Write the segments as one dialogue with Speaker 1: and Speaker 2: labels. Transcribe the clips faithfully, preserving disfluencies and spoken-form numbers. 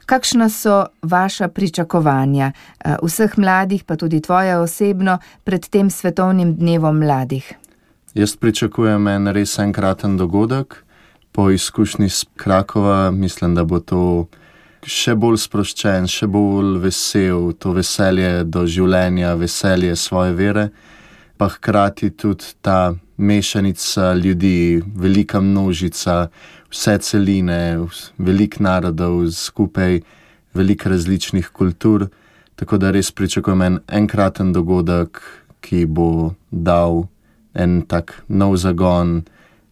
Speaker 1: Kakšna so vaša pričakovanja, vseh mladih, pa tudi tvoja osebno, pred tem svetovnim dnevom mladih?
Speaker 2: Jaz pričakujem en res enkraten dogodek. Po izkušnji iz Krakova mislim, da bo to še bolj sproščen, še bolj vesel, to veselje do življenja, veselje svoje vere, pa hkrati tudi ta mešanica ljudi, velika množica, vse celine, veliko narodov skupaj, veliko različnih kultur, tako da res pričakujem en enkraten dogodek, ki bo dal en tak nov zagon,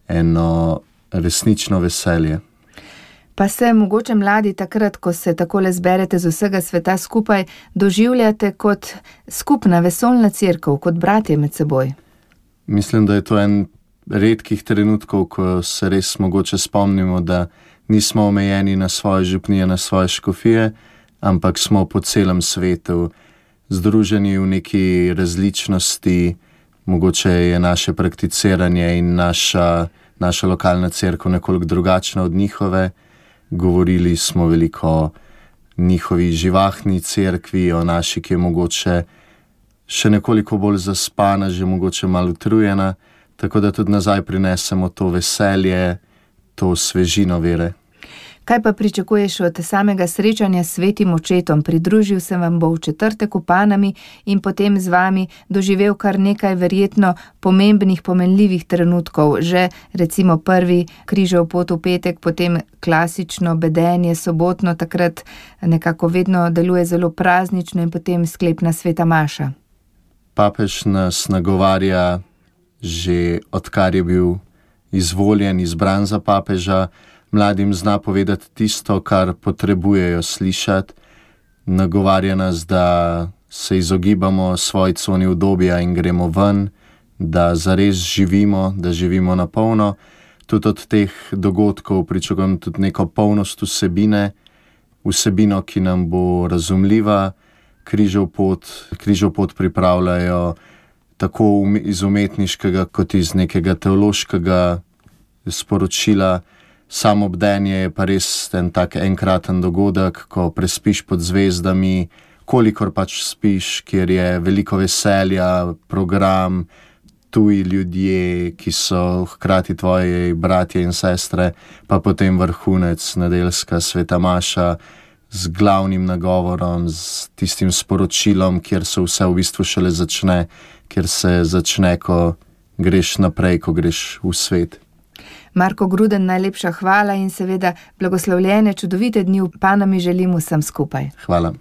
Speaker 2: eno resnično veselje.
Speaker 1: Pa se mogoče mladi takrat, ko se takole zberete z vsega sveta skupaj, doživljate kot skupna vesoljna cerkev, kot bratje med seboj?
Speaker 2: Mislim, da je to en redkih trenutkov, ko se res mogoče spomnimo, da nismo omejeni na svoje župnije, na svoje škofije, ampak smo po celem svetu združeni v neki različnosti. Mogoče je naše prakticiranje in naša, naša lokalna cerkev nekoliko drugačna od njihove. Govorili smo veliko o njihovi živahni cerkvi, o naši, ki je mogoče še nekoliko bolj zaspana, že mogoče malo utrujena, tako da tudi nazaj prinesemo to veselje, to svežino vere.
Speaker 1: Kaj pa pričakuješ od samega srečanja s svetim očetom? Pridružil se vam bo v četrtek v Panami in potem z vami doživel kar nekaj verjetno pomembnih, pomenljivih trenutkov. Že recimo prvi križev pot v petek, potem klasično bedenje, sobotno, takrat nekako vedno deluje zelo praznično in potem sklepna sveta maša.
Speaker 2: Papež nas nagovarja že odkar je bil izvoljen, izbran za papeža, mladim zna povedati tisto, kar potrebujejo slišati. Nagovarja nas, da se izogibamo svoji coni udobja in gremo ven, da zares živimo, da živimo na polno. Tudi od teh dogodkov pričakujem tudi neko polnost vsebine, vsebino, ki nam bo razumljiva. Križev pot, križev pot pripravljajo tako iz umetniškega kot iz nekega teološkega sporočila. Samo bdenje je pa res en tak enkraten dogodek, ko prespiš pod zvezdami, kolikor pač spiš, kjer je veliko veselja, program, tuji ljudje, ki so hkrati tvoji bratje in sestre, pa potem vrhunec, nedeljska sveta maša z glavnim nagovorom, z tistim sporočilom, kjer se vse v bistvu šele začne, kjer se začne, ko greš naprej, ko greš v svet.
Speaker 1: Marko Gruden, najlepša hvala in seveda blagoslovljene, čudovite dni v Panami želim vsem skupaj.
Speaker 2: Hvala.